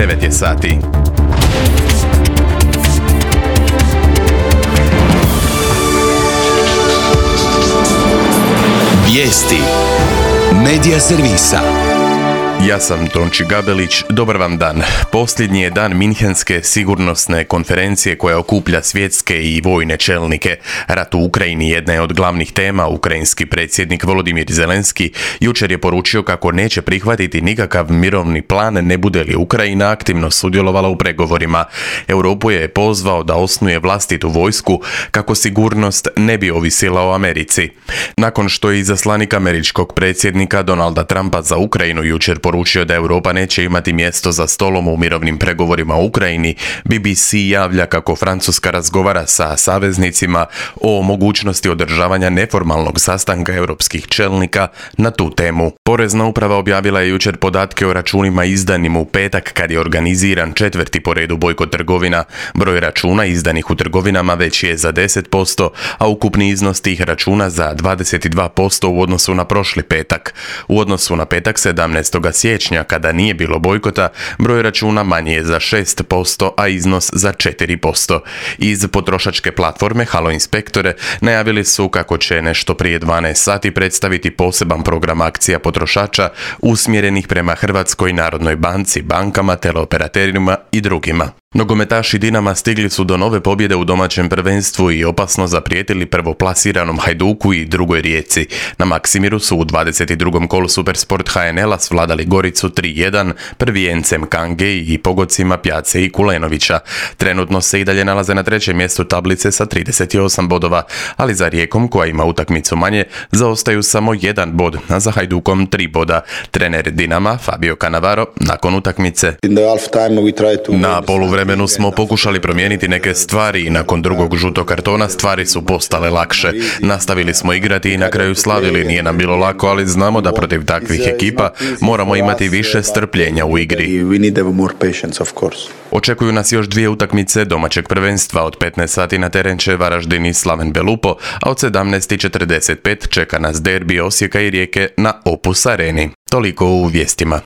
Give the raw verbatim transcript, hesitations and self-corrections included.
devet je sati. Vijesti Medija servisa. Ja sam Tonči Gabelić, dobar vam dan. Posljednji je dan Minhenske sigurnosne konferencije koja okuplja svjetske i vojne čelnike. Rat u Ukrajini jedna je od glavnih tema. Ukrajinski predsjednik Volodimir Zelenski jučer je poručio kako neće prihvatiti nikakav mirovni plan ne bude li Ukrajina aktivno sudjelovala u pregovorima. Europu je pozvao da osnuje vlastitu vojsku kako sigurnost ne bi ovisila o Americi. Nakon što je izaslanik američkog predsjednika Donalda Trumpa za Ukrajinu jučer poručio da Europa neće imati mjesto za stolom u mirovnim pregovorima u Ukrajini, B B C javlja kako Francuska razgovara sa saveznicima o mogućnosti održavanja neformalnog sastanka europskih čelnika na tu temu. Porezna uprava objavila je jučer podatke o računima izdanim u petak kad je organiziran četvrti po redu bojkot trgovina. Broj računa izdanih u trgovinama veći je za deset posto, a ukupni iznos tih računa za dvadeset dva posto u odnosu na prošli petak. U odnosu na petak sedamnaestog siječnja, kada nije bilo bojkota, broj računa manji je za šest posto, a iznos za četiri posto. Iz potrošačke platforme Halo Inspektore najavili su kako će nešto prije dvanaest sati predstaviti poseban program akcija potrošača usmjerenih prema Hrvatskoj narodnoj banci, bankama, teleoperaterima i drugima. Nogometaši Dinama stigli su do nove pobjede u domaćem prvenstvu i opasno zaprijetili prvoplasiranom Hajduku i Drugoj Rijeci. Na Maksimiru su u dvadeset drugom kolu Supersport H N L-a svladali Goricu tri jedan, prvijencem Kange i pogodcima Pjace i Kulenovića. Trenutno se i dalje nalaze na trećem mjestu tablice sa trideset osam bodova, ali za Rijekom, koja ima utakmicu manje, zaostaju samo jedan bod, a za Hajdukom tri boda. Trener Dinama, Fabio Cannavaro, nakon utakmice: Na poluvremenu smo pokušali promijeniti neke stvari i nakon drugog žutog kartona stvari su postale lakše. Nastavili smo igrati i na kraju slavili. Nije nam bilo lako, ali znamo da protiv takvih ekipa moramo imati više strpljenja u igri. Očekuju nas još dvije utakmice domaćeg prvenstva. Od petnaest sati na teren će Varaždin i Slaven Belupo, a od sedamnaest četrdeset pet čeka nas derbi Osijeka i Rijeke na Opus Areni. Toliko u vijestima.